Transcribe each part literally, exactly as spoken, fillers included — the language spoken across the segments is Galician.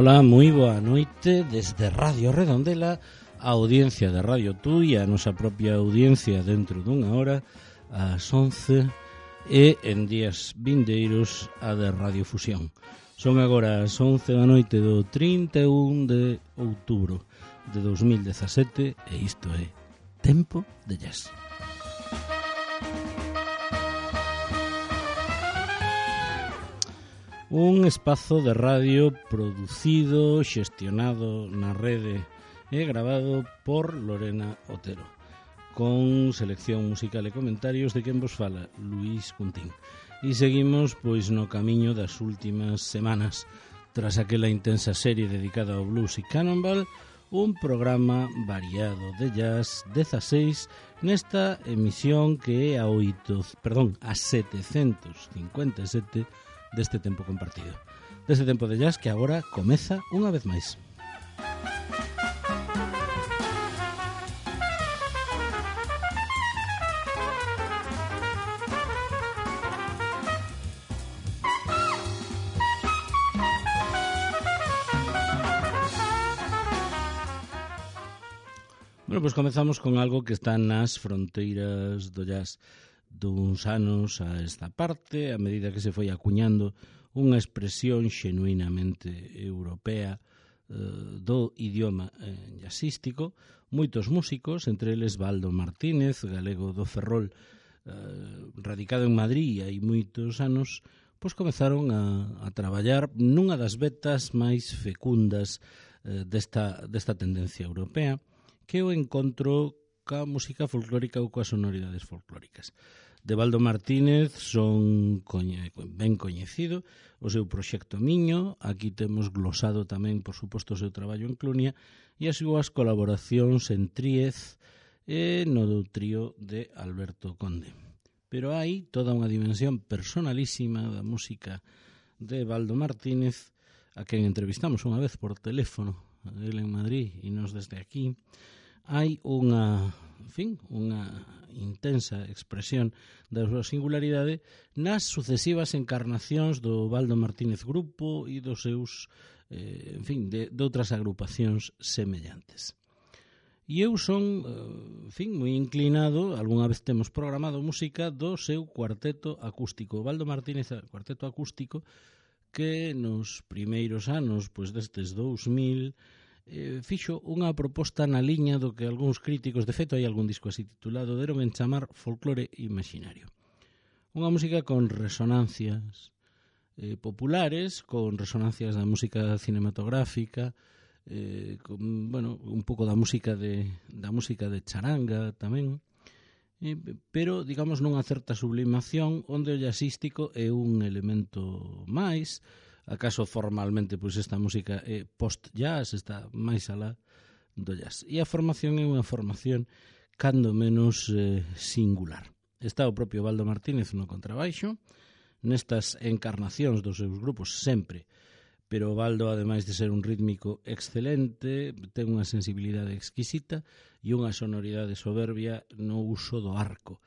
Ola, moi boa noite desde Radio Redondela, a audiencia de Radio Tú e a nosa propia audiencia dentro dunha hora, ás once, e en días vindeiros a de Radio Fusión. Son agora as once da noite do trinta e un de outubro de dos mil dezasete e isto é Tempo de Jazz. Un espazo de radio producido, xestionado na rede e gravado por Lorena Otero, con selección musical e comentarios de quen vos fala, Luís Cuntín. E seguimos pois no camiño das últimas semanas, tras aquela intensa serie dedicada ao blues e cannonball, un programa variado de jazz dezaseis nesta emisión que é a oito, perdón, a setecentos cincuenta e sete deste tempo compartido. Deste tempo de jazz que agora comeza unha vez máis. Bueno, pois comezamos con algo que está nas fronteiras do jazz duns anos a esta parte, a medida que se foi acuñando unha expresión xenuinamente europea eh, do idioma eh, jazzístico. Moitos músicos, entre eles Baldo Martínez, galego do Ferrol, eh, radicado en Madrid hai moitos anos, pois comezaron a, a traballar nunha das vetas máis fecundas eh, desta, desta tendencia europea, que o encontro ca música folclórica ou coas sonoridades folclóricas. De Baldo Martínez son coñe, ben coñecido o seu proxecto Miño, aquí temos glosado tamén, por suposto, o seu traballo en Clunia e as súas colaboracións en Tríez e no do trío de Alberto Conde. Pero hai toda unha dimensión personalísima da música de Baldo Martínez, a quen entrevistamos unha vez por teléfono, ele en Madrid e nos desde aquí. Hai unha, en fin, unha intensa expresión da súa singularidade nas sucesivas encarnacións do Baldo Martínez Grupo e dos seus, eh, en fin, de, de outras agrupacións semellantes. E eu son, en fin, moi inclinado, algunha vez temos programado música do seu cuarteto acústico. Baldo Martínez, cuarteto acústico, que nos primeiros anos, pois destes dous mil, Eh, fixo unha proposta na liña do que algúns críticos, de feito hai algún disco así titulado, deron en chamar folclore imaginario. Unha música con resonancias eh, populares, con resonancias da música cinematográfica, eh, con, bueno, un pouco da música de, da música de charanga tamén, eh, pero, digamos, nunha certa sublimación onde o jazzístico é un elemento máis. Acaso formalmente pois esta música é post-jazz, está máis alá do jazz. E a formación é unha formación cando menos eh, singular. Está o propio Baldo Martínez no contrabaixo, nestas encarnacións dos seus grupos sempre, pero Baldo, ademais de ser un rítmico excelente, ten unha sensibilidade exquisita e unha sonoridade soberbia no uso do arco.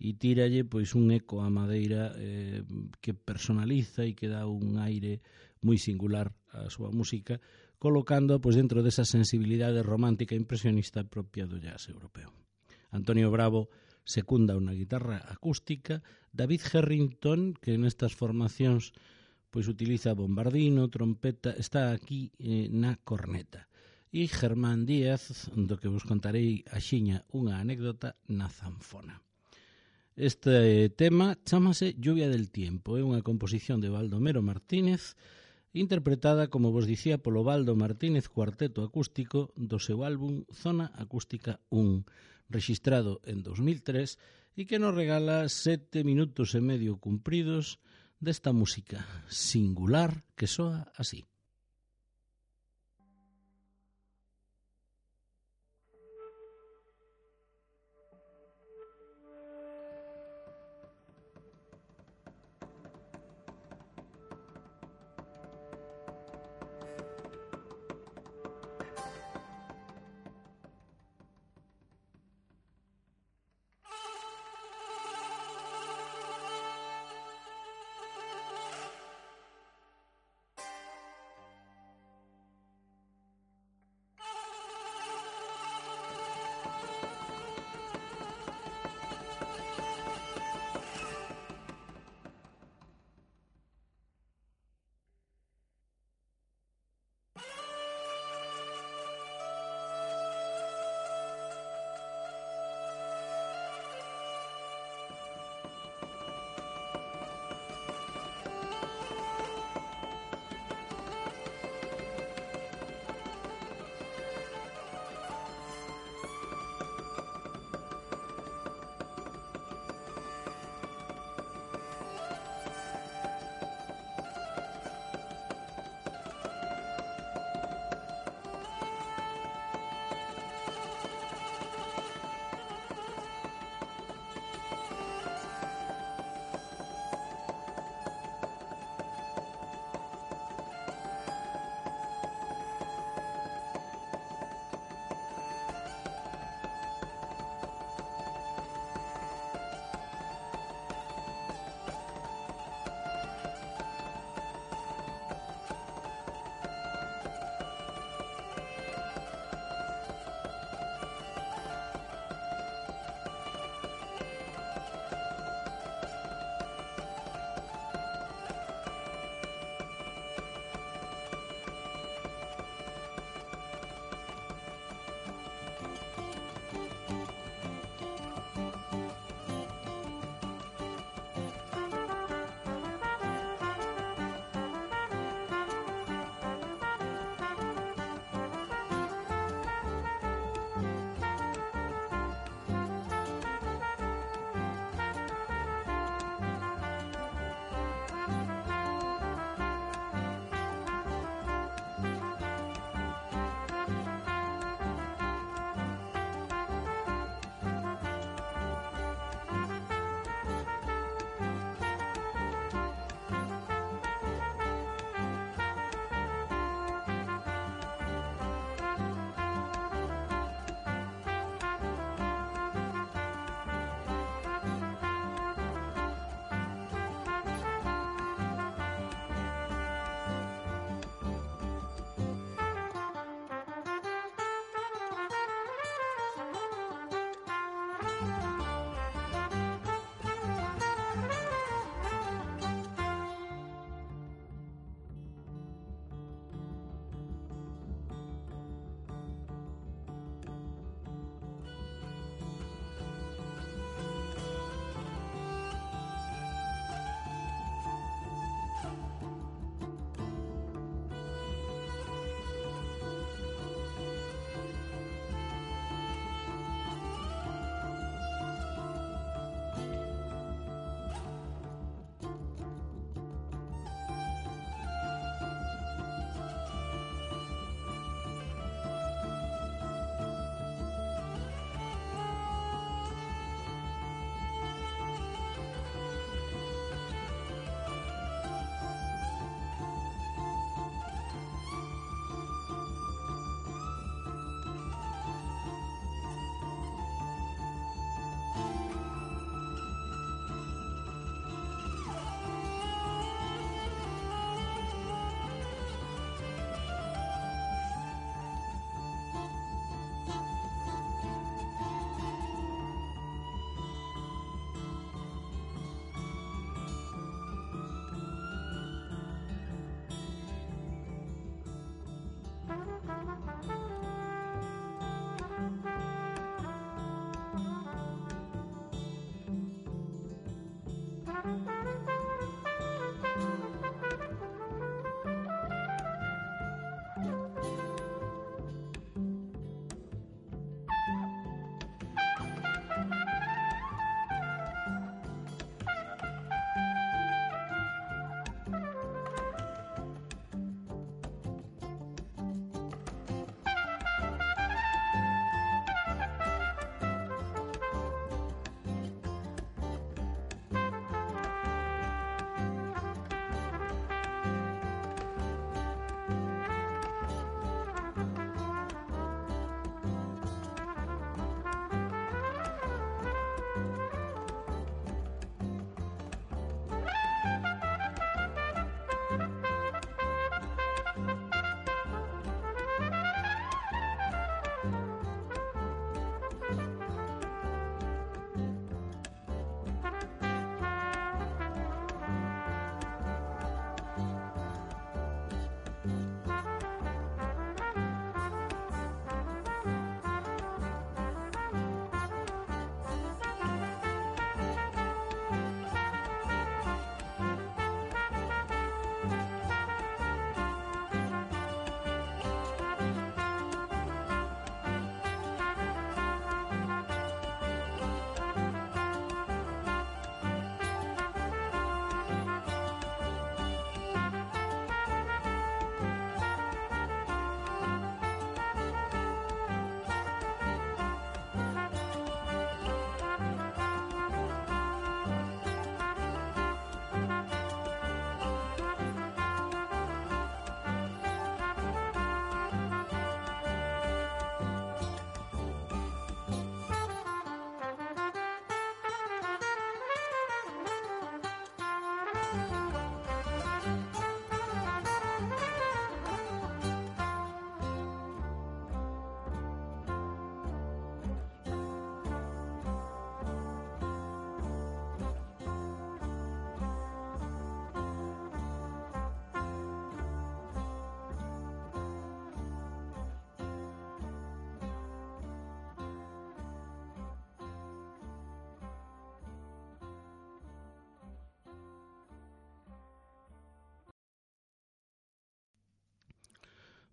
E tíralle pois un eco á madeira eh, que personaliza e que dá un aire moi singular á súa música, colocando pois dentro desa sensibilidade romántica e impresionista propia do jazz europeo. Antonio Bravo secunda unha guitarra acústica, David Harrington, que nestas formacións pois utiliza bombardino, trompeta, está aquí eh, na corneta. E Germán Díaz, do que vos contarei axiña unha anécdota, na zanfona. Este tema chámase Lluvia del Tiempo, é unha composición de Baldomero Martínez, interpretada, como vos dicía, polo Baldo Martínez Cuarteto Acústico do seu álbum Zona Acústica un, rexistrado en dos mil tres e que nos regala sete minutos e medio cumpridos desta música singular que soa así.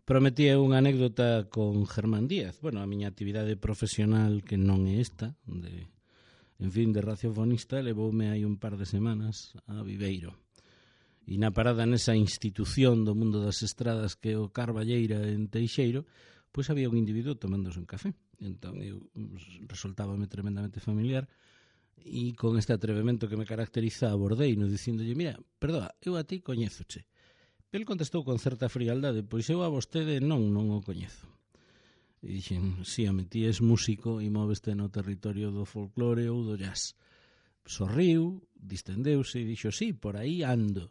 Prometía unha anécdota con Germán Díaz. Bueno, a miña actividade profesional, que non é esta, de, en fin, de radiofonista, levoume hai un par de semanas a Viveiro. E na parada nesa institución do mundo das estradas que é o Carballeira en Teixeiro, pois había un individuo tomándose un café. Entón, eu resultábame tremendamente familiar e con este atrevemento que me caracteriza abordeino dicíndolle, mira, perdoa, eu a ti coñézoche. El contestou con certa frialdade, pois eu a vostede non, non o coñezo. E dixen, si, home, ti és músico e móveste no territorio do folclore ou do jazz. Sorriu, distendeuse e dixo, si, por aí ando.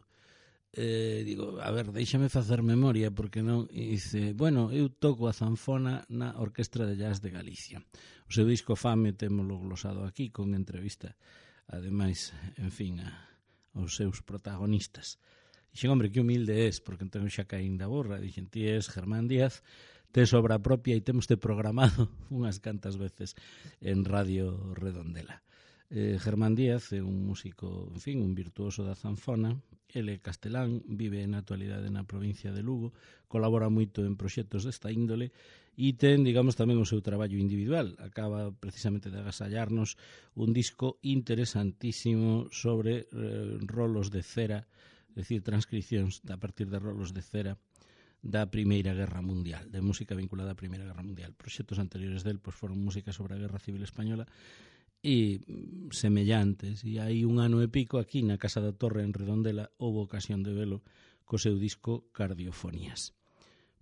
Eh, digo, a ver, déixame facer memoria, porque non? E dice, bueno, eu toco a zanfona na Orquestra de Jazz de Galicia. O seu disco Fame témolo glosado aquí con entrevista, ademais, en fin, a, aos seus protagonistas. Dixen, hombre, que humilde és, porque entón xa caín da borra. Dixen, ti és Germán Díaz, tes obra propia e temos te programado unhas cantas veces en Radio Redondela. Eh, Germán Díaz é un músico, en fin, un virtuoso da zanfona. Ele é castelán, vive na actualidade na provincia de Lugo, colabora moito en proxectos desta índole e ten, digamos, tamén o seu traballo individual. Acaba precisamente de agasallarnos un disco interesantísimo sobre eh, rolos de cera, é dicir, transcripcións a partir de rolos de cera da Primeira Guerra Mundial, de música vinculada á Primeira Guerra Mundial. Proxectos anteriores del pois, foron música sobre a Guerra Civil Española e semellantes. E hai un ano e pico aquí na Casa da Torre en Redondela houve ocasión de velo co seu disco Cardiofonías.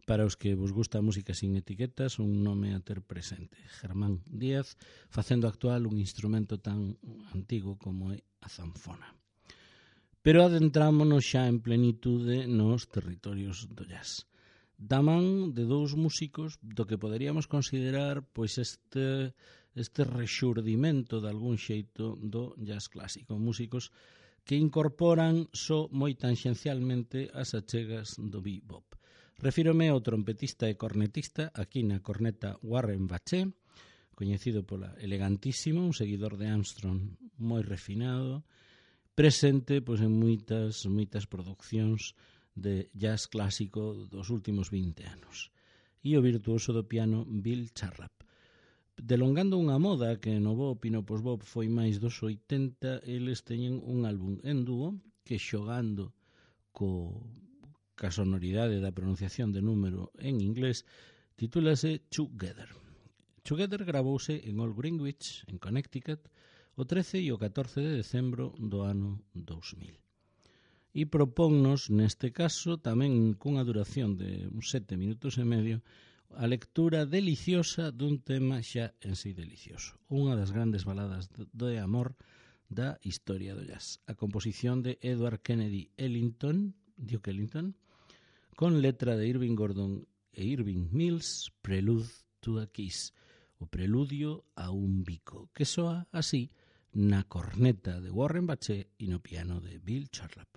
Para os que vos gusta a música sin etiquetas, un nome a ter presente. Germán Díaz, facendo actual un instrumento tan antigo como é a zanfona. Pero adentrámonos xa en plenitude nos territorios do jazz. Da man de dous músicos do que poderíamos considerar pois este, este rexurdimento de algún xeito do jazz clásico. Músicos que incorporan só moi tangencialmente as achegas do bebop. Refírome ao trompetista e cornetista, aquí na corneta Warren Bache, coñecido pola elegantísima, un seguidor de Armstrong moi refinado, presente pois, en moitas, moitas producións de jazz clásico dos últimos vinte anos. E o virtuoso do piano Bill Charlap. Delongando unha moda que no bop e no post-bop foi máis dos oitenta, eles teñen un álbum en dúo que xogando co, ca sonoridade da pronunciación de número en inglés titúlase Together. Together gravouse en Old Greenwich, en Connecticut, o trece e o catorce de decembro do ano dous mil. E propónnos, neste caso, tamén cunha duración de uns sete minutos e medio, a lectura deliciosa dun tema xa en sí delicioso. Unha das grandes baladas de amor da historia do jazz. A composición de Edward Kennedy Ellington, Duke Ellington, con letra de Irving Gordon e Irving Mills, Prelude to a Kiss, o preludio a un bico, que soa así na corneta de Warren Bache e no piano de Bill Charlap.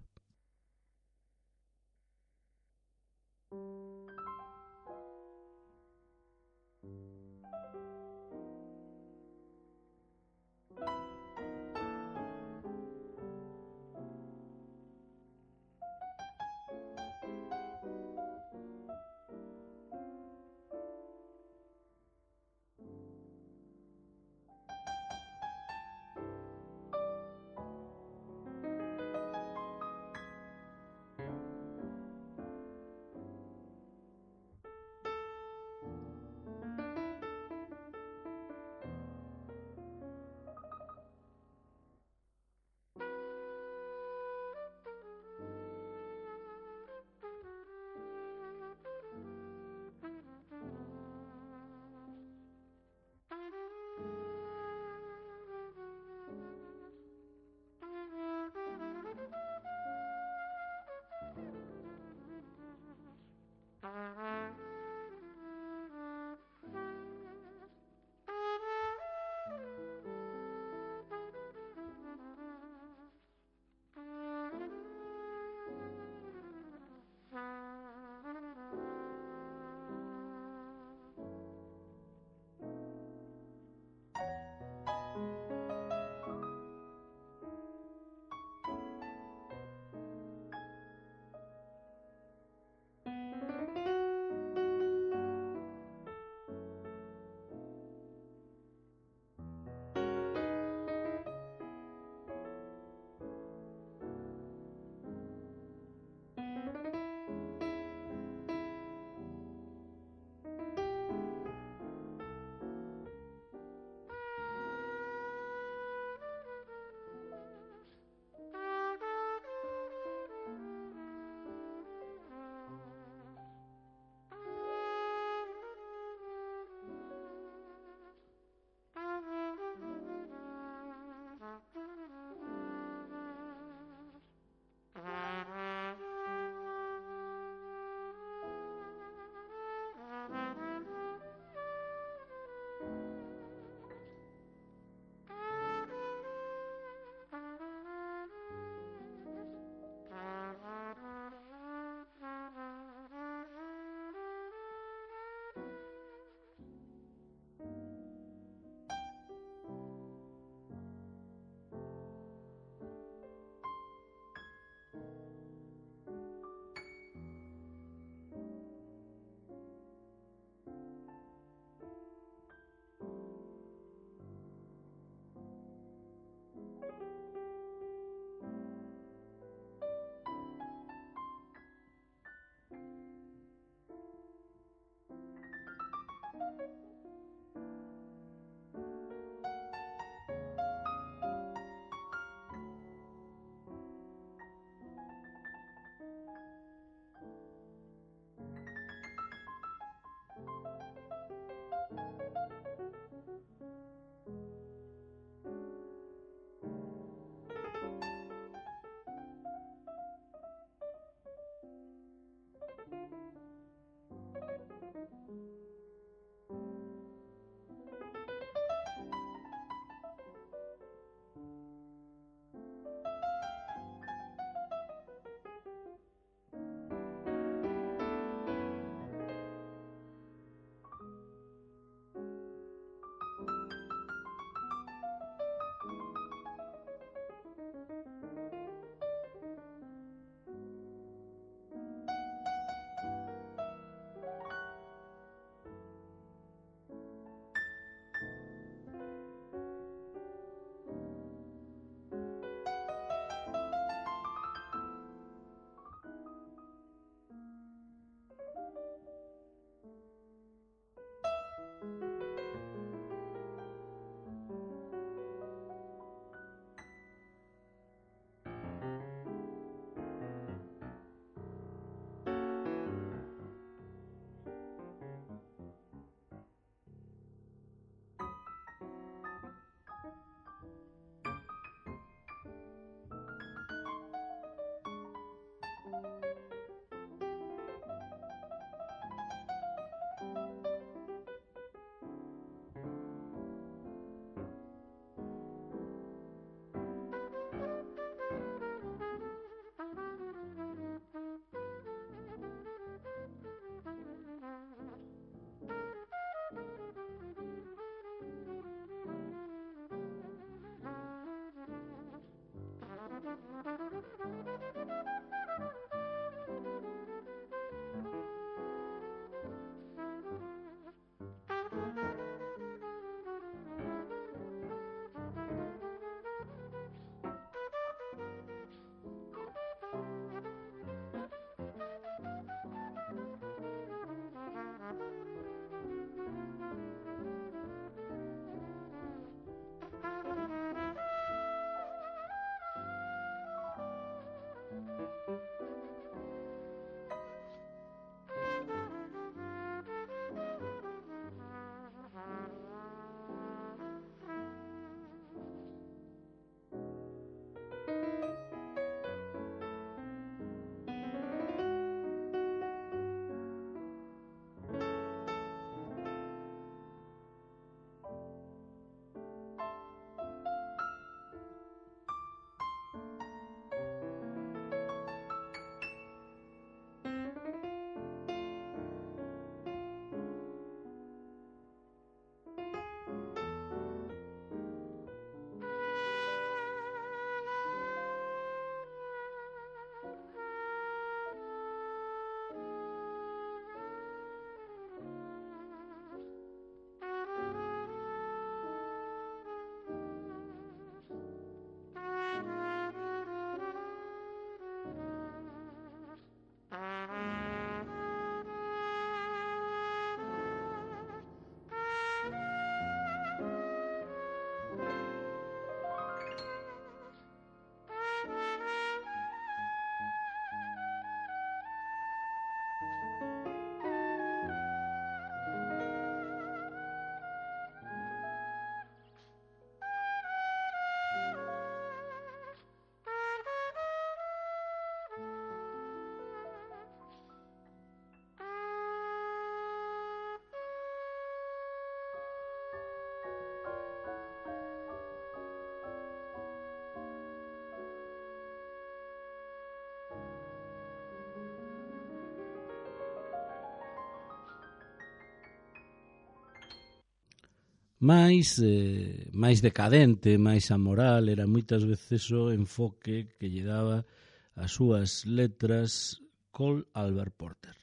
máis eh, máis decadente, máis amoral, era moitas veces o enfoque que lle daba as súas letras Cole Albert Porter.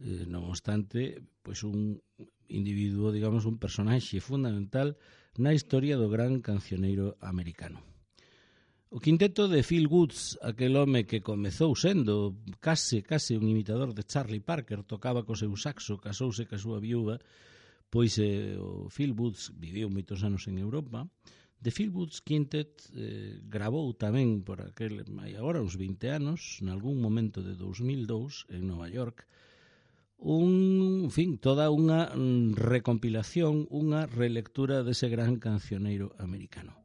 Eh, non obstante, pois un individuo, digamos, un personaxe fundamental na historia do gran cancioneiro americano. O quinteto de Phil Woods, aquel home que comezou sendo case, case un imitador de Charlie Parker, tocaba co seu saxo, casouse ca súa viúva, pois eh, o Phil Woods viviu moitos anos en Europa. The Phil Woods Quintet eh, gravou tamén por aquel, hai agora uns vinte anos, nalgún momento de dous mil dous, en Nova York, un, en fin, toda unha recompilación, unha relectura dese gran cancioneiro americano.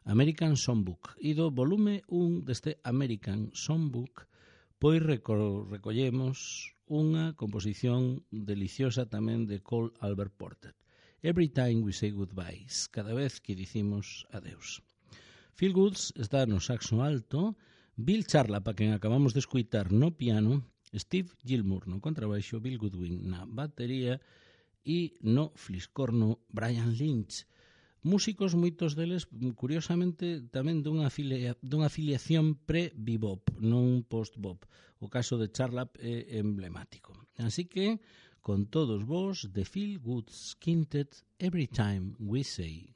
American Songbook. E do volume un deste American Songbook, pois reco recollemos unha composición deliciosa tamén de Cole Albert Porter. Every time we say goodbyes, cada vez que dicimos adeus. Phil Woods está no saxo alto, Bill Charlap, a quen acabamos de escuitar no piano, Steve Gilmour no contrabaixo, Bill Goodwin na batería e no fliscorno Brian Lynch. Músicos, moitos deles, curiosamente, tamén dunha, filia, dunha filiación pre-bebop, non post-bop. O caso de Charlap é emblemático. Así que, con todos vos, The Phil Woods Quintet, Every Time We Say.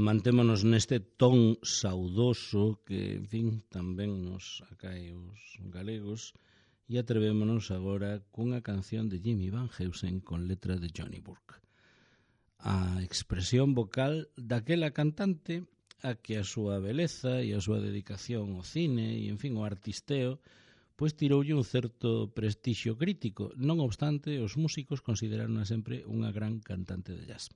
mantémonos neste ton saudoso que, en fin, tamén nos acae os galegos, e atrevémonos agora cunha canción de Jimmy Van Heusen con letra de Johnny Burke. A expresión vocal daquela cantante a que a súa beleza e a súa dedicación ao cine e, en fin, o artisteo, pois tiroulle un certo prestixio crítico. Non obstante, os músicos consideraron sempre unha gran cantante de jazz.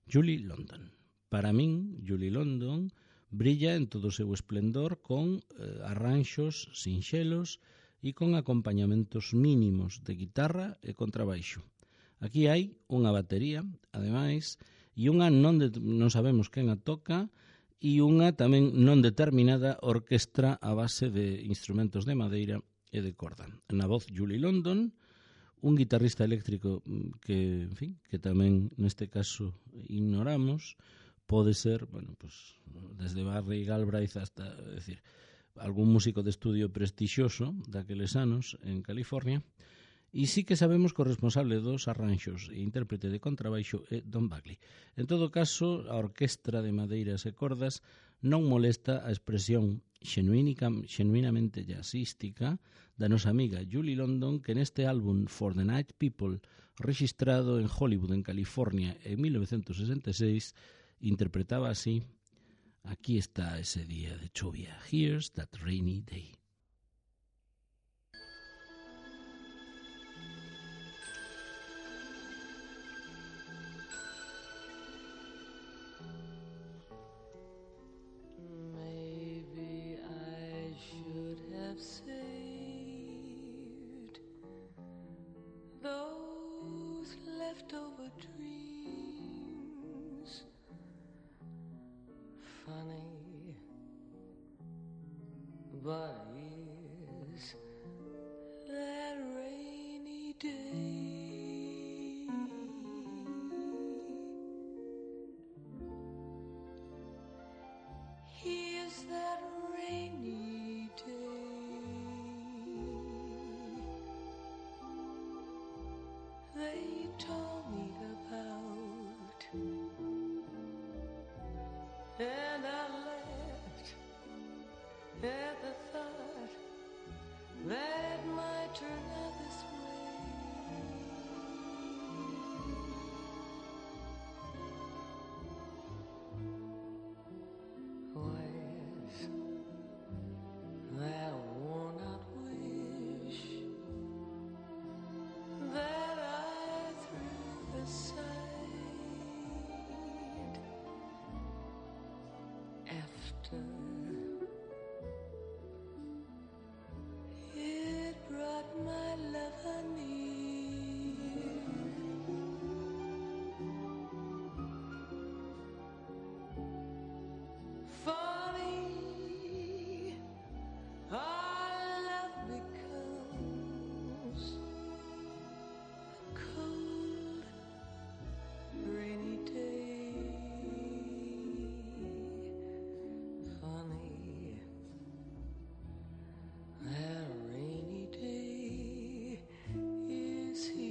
Julie London. Para min, Julie London brilla en todo o seu esplendor con eh, arranxos sinxelos e con acompañamentos mínimos de guitarra e contrabaixo. Aquí hai unha batería, ademais, e unha non, de, non sabemos quen a toca, e unha tamén non determinada orquestra a base de instrumentos de madeira e de corda. Na voz Julie London, un guitarrista eléctrico que, en fin, que tamén neste caso ignoramos, pode ser, bueno, pues, desde Barry Galbraith hasta, é dicir, algún músico de estudio prestixioso daqueles anos en California. E sí que sabemos que o responsable dos arranxos e intérprete de contrabaixo é Don Buckley. En todo caso, a orquestra de madeiras e cordas non molesta a expresión xenuinamente jazzística da nosa amiga Julie London, que neste álbum For the Night People, registrado en Hollywood, en California, en mil novecientos sesenta e seis, interpretaba así Aquí está ese día de chuvia. Here's that rainy day. But is that rainy day? Here's that rainy day. They told me about, and I laughed at the thought that it might turn out this way. Where's that worn out wish that I threw aside after my lover near? Funny, our love becomes a cold, rainy day. Funny, that rainy day is here.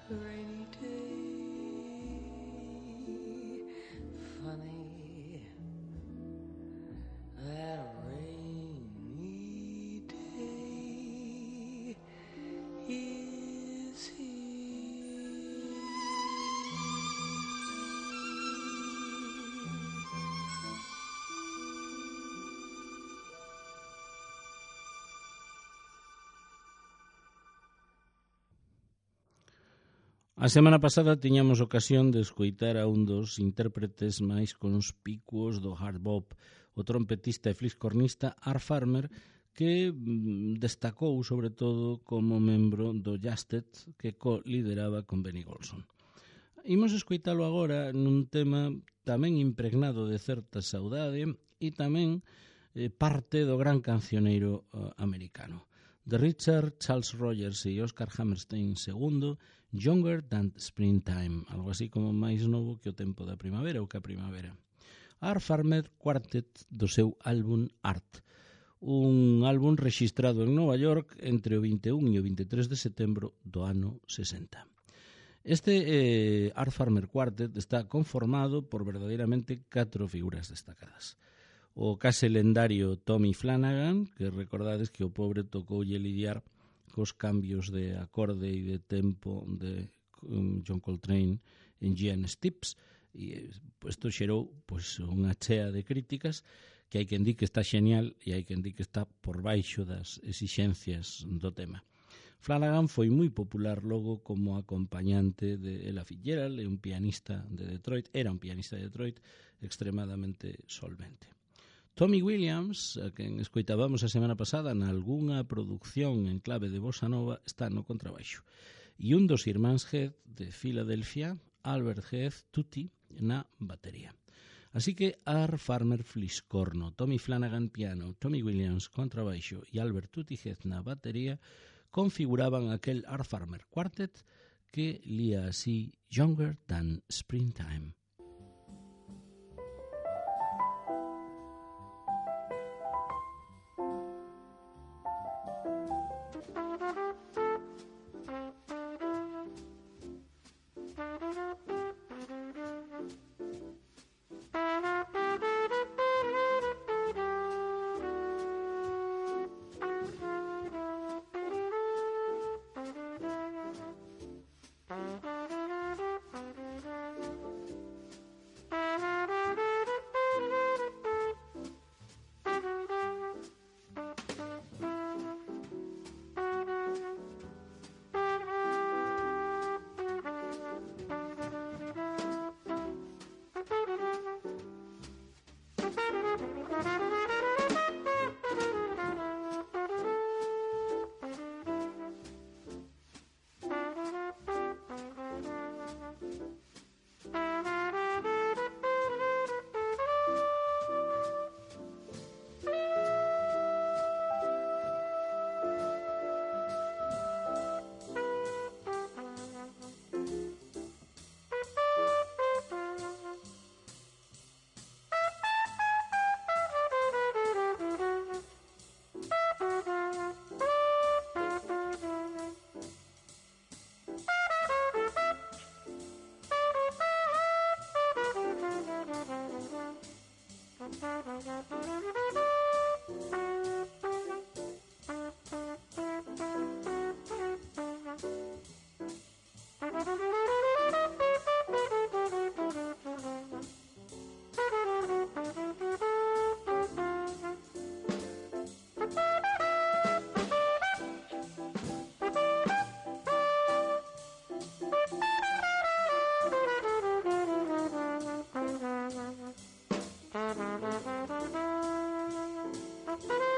Rainy day, funny, that rainy day is here. A semana pasada tiñamos ocasión de escoitar a un dos intérpretes máis conspicuos do hard bop, o trompetista e fliscornista Art Farmer, que destacou sobre todo como membro do Jasted, que co-lideraba con Benny Golson. Imos escoitalo agora nun tema tamén impregnado de certa saudade e tamén eh, parte do gran cancioneiro eh, americano. De Richard Charles Rogers e Oscar Hammerstein segundo, Younger Than Springtime, algo así como máis novo que o tempo da primavera ou que a primavera. Art Farmer Quartet do seu álbum Art, un álbum rexistrado en Nova York entre o vinte e un e o vinte e tres de setembro do ano sesenta. Este eh, Art Farmer Quartet está conformado por verdadeiramente catro figuras destacadas. O case lendario Tommy Flanagan, que recordades que o pobre tocoulle lidiar cos cambios de acorde e de tempo de um, John Coltrane en G N Stips, e isto xerou pois, unha chea de críticas que hai quen di que está xenial e hai quen di que está por baixo das exixencias do tema. Flanagan foi moi popular logo como acompañante de Ella Fitzgerald, un pianista de Detroit, era un pianista de Detroit extremadamente solvente. Tommy Williams, a quen escoitábamos a semana pasada na algunha produción en clave de bossa nova, está no contrabaixo. E un dos irmáns Heath de Filadelfia, Albert Heath Tutti, na batería. Así que Art Farmer Fliscorno, Tommy Flanagan piano, Tommy Williams contrabaixo e Albert Tutti Heath na batería configuraban aquel Art Farmer Quartet que lía así Younger Than Springtime. Thank you.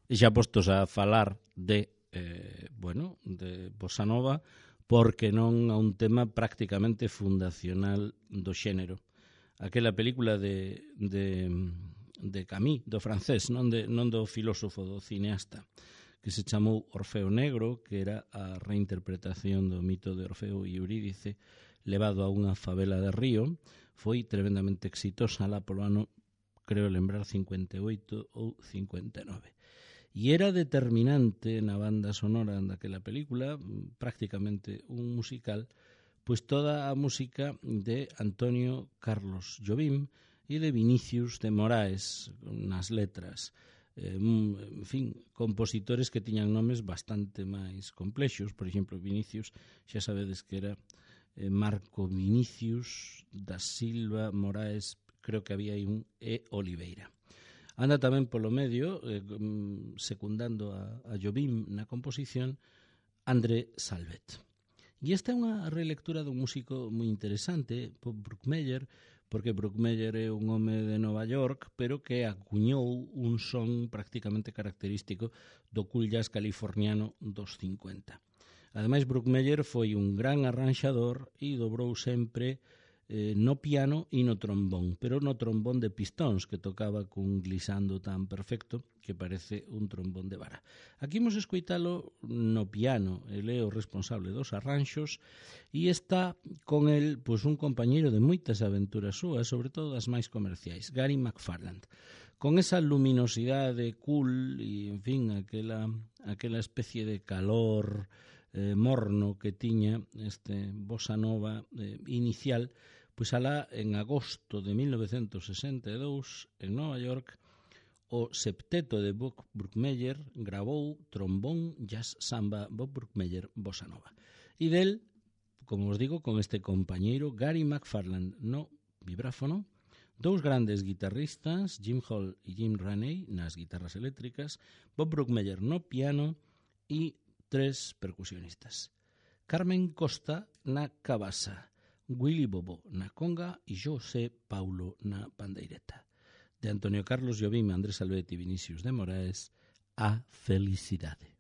E xa postos a falar de, eh, bueno, de bossa nova, porque non a un tema prácticamente fundacional do xénero. Aquela película de, de, de Camus, do francés, non, de, non do filósofo, do cineasta, que se chamou Orfeo Negro, que era a reinterpretación do mito de Orfeo e Eurídice levado a unha favela de Río, foi tremendamente exitosa lá polo ano, creo lembrar, cincuenta e oito ou cincuenta e nove. E era determinante na banda sonora daquela película, prácticamente un musical, pois toda a música de Antonio Carlos Jobim e de Vinicius de Moraes nas letras. Eh, en fin, compositores que tiñan nomes bastante máis complexos. Por exemplo, Vinicius, xa sabedes que era eh, Marco Vinicius da Silva Moraes, creo que había aí un E. Oliveira. Anda tamén polo medio, eh, secundando a, a Jobim na composición, André Salvet. E esta é unha relectura dun músico moi interesante, Bob Brookmeyer, porque Brookmeyer é un home de Nova York, pero que acuñou un son prácticamente característico do cool jazz californiano dos cincuenta. Ademais, Brookmeyer foi un gran arranxador e dobrou sempre eh, no piano e no trombón, pero no trombón de pistóns, que tocaba cun glissando tan perfecto que parece un trombón de vara. Aquí imos escoitalo no piano, ele é o responsable dos arranxos e está con el pois, un compañeiro de moitas aventuras súas, sobre todo as máis comerciais, Gary McFarland, con esa luminosidade cool e, en fin, aquela, aquela especie de calor eh, morno que tiña este bossa nova eh, inicial. Pois alá, en agosto de mil novecentos sesenta e dous, en Nova York, o septeto de Bob Brookmeyer gravou trombón, jazz, samba, Bob Brookmeyer, bossa nova. E del, como os digo, con este compañeiro Gary McFarland no vibráfono, dous grandes guitarristas, Jim Hall e Jim Raney, nas guitarras eléctricas, Bob Brookmeyer no piano e tres percusionistas. Carmen Costa na cabasa, Willy Bobo na conga e José Paulo na pandeireta. De Antonio Carlos Jobim, Andrés Salvet e Vinicius de Moraes, A Felicidade.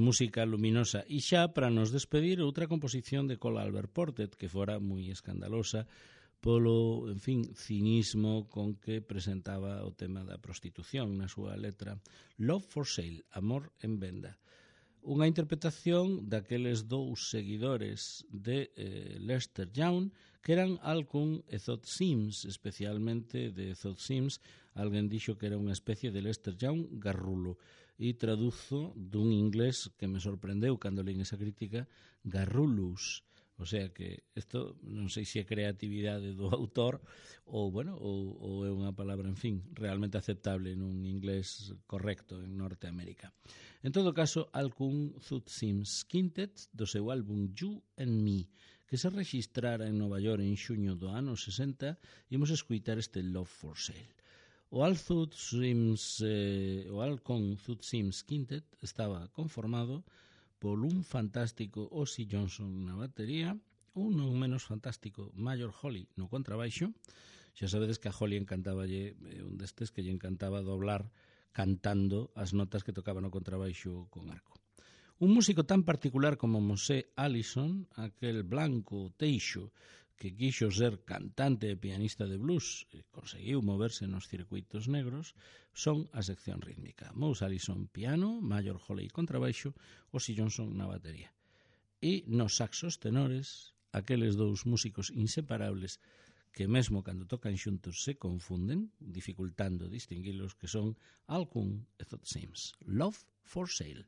Música luminosa. E xa para nos despedir outra composición de Cole Albert Portet que fora moi escandalosa polo, en fin, cinismo con que presentaba o tema da prostitución na súa letra Love for Sale, Amor en Venda. Unha interpretación daqueles dous seguidores de eh, Lester Young que eran Alcun e Thot Sims, especialmente de Thot Sims. Alguén dixo que era unha especie de Lester Young garrulo, e traduzo dun inglés que me sorprendeu cando leín esa crítica, garrulus. O sea que isto non sei se é creatividade do autor ou, bueno, ou, ou é unha palabra, en fin, realmente aceptable nun inglés correcto en Norteamérica. En todo caso, Alcun Thot Sims Quintet do seu álbum You and Me, que se registrara en Nova York en xuño do ano sesenta, imos escuitar este Love for Sale. O Alcun Sims, eh, o Alcun Thot Sims Quintet estaba conformado por un fantástico Ozzy Johnson na batería, un non menos fantástico Major Holly no contrabaixo. Xa sabedes que a Holly encantaballe, eh, un destes que lle encantaba doblar cantando as notas que tocaba no contrabaixo con arco. Un músico tan particular como Mosé Allison, aquel blanco teixo que quixo ser cantante e pianista de blues e conseguiu moverse nos circuitos negros, son a sección rítmica. Mose Allison piano, Major Holly contrabaixo, Ozzy Johnson na batería. E nos saxos tenores, aqueles dous músicos inseparables que mesmo cando tocan xuntos se confunden, dificultando distinguilos, que son Alcun e Thot Sims. Love for Sale.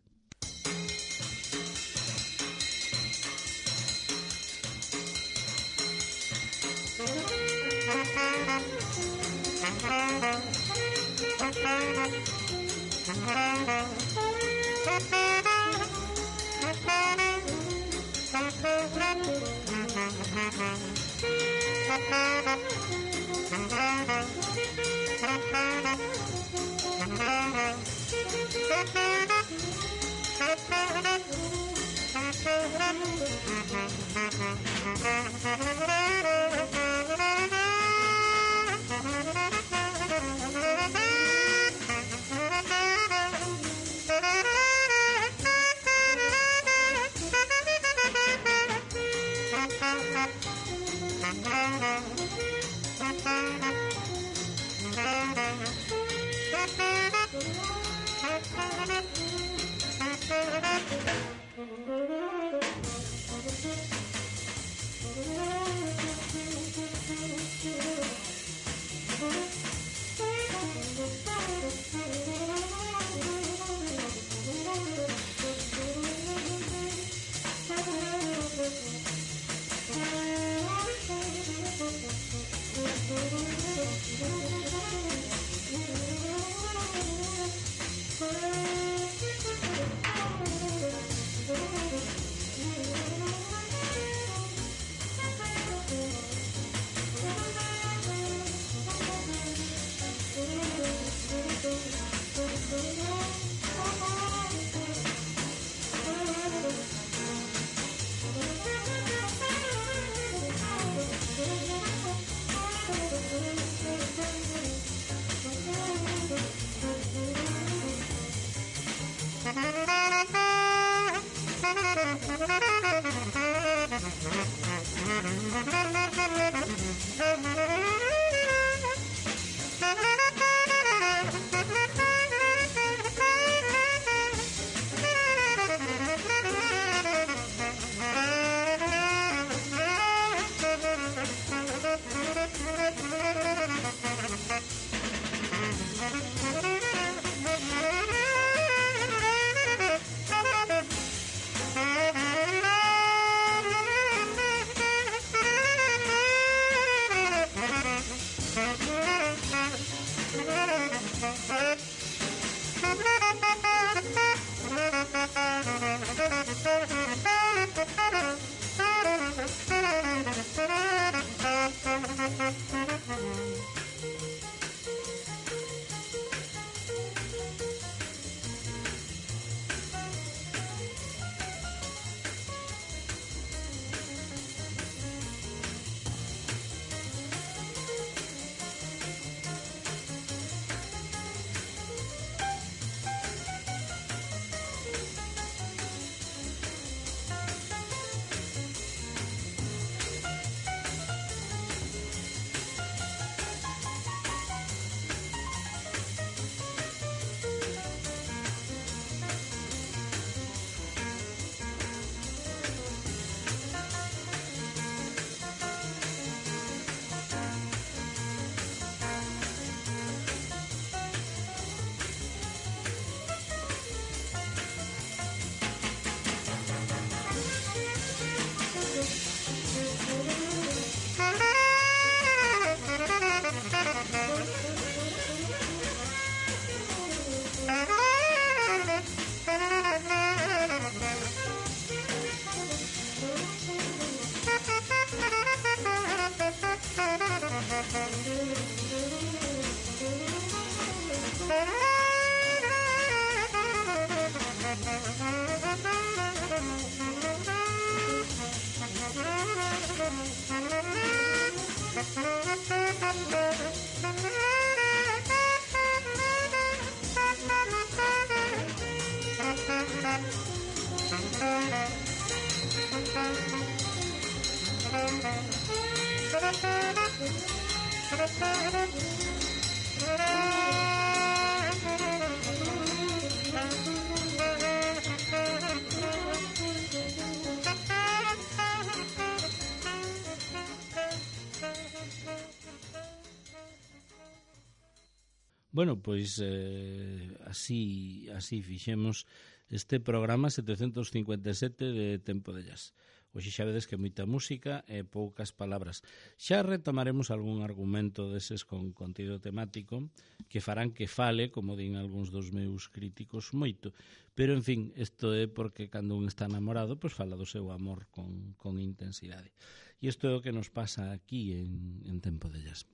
Bueno, pois eh, así así fixemos este programa setecentos cincuenta e sete de Tempo de Jazz. Hoxe xa vedes que moita música e poucas palabras. Xa retomaremos algún argumento deses con contido temático que farán que fale, como din algúns dos meus críticos, moito. Pero, en fin, isto é porque cando un está namorado, pois fala do seu amor con, con intensidade. E isto é o que nos pasa aquí en, en Tempo de Jazz.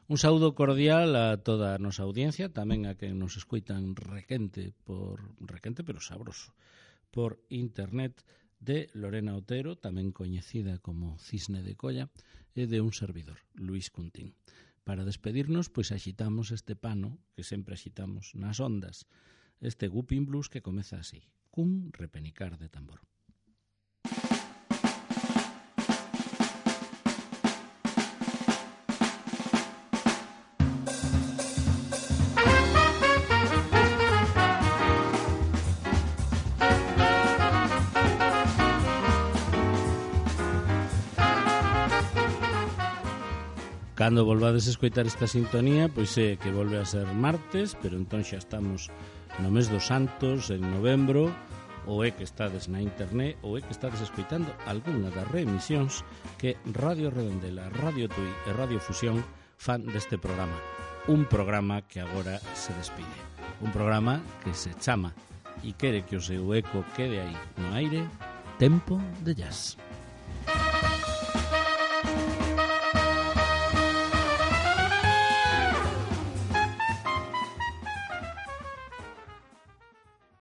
Un saúdo cordial a toda a nosa audiencia, tamén a quen nos escoitan requente, por requente pero sabroso, por internet, de Lorena Otero, tamén coñecida como Cisne de Colla, e de un servidor, Luís Cuntín. Para despedirnos, pois axitamos este pano que sempre axitamos nas ondas, este Whooping Blues que comeza así, cun repenicar de tambor. Cando volvades a escoitar esta sintonía, pois é que volve a ser martes, pero entón xa estamos no mes dos Santos, en novembro, ou é que estades na internet, ou é que estades escoitando algunha das reemisións que Radio Redondela, Radio Tui e Radio Fusión fan deste programa. Un programa que agora se despide. Un programa que se chama e quere que o seu eco quede aí no aire, Tempo de Jazz.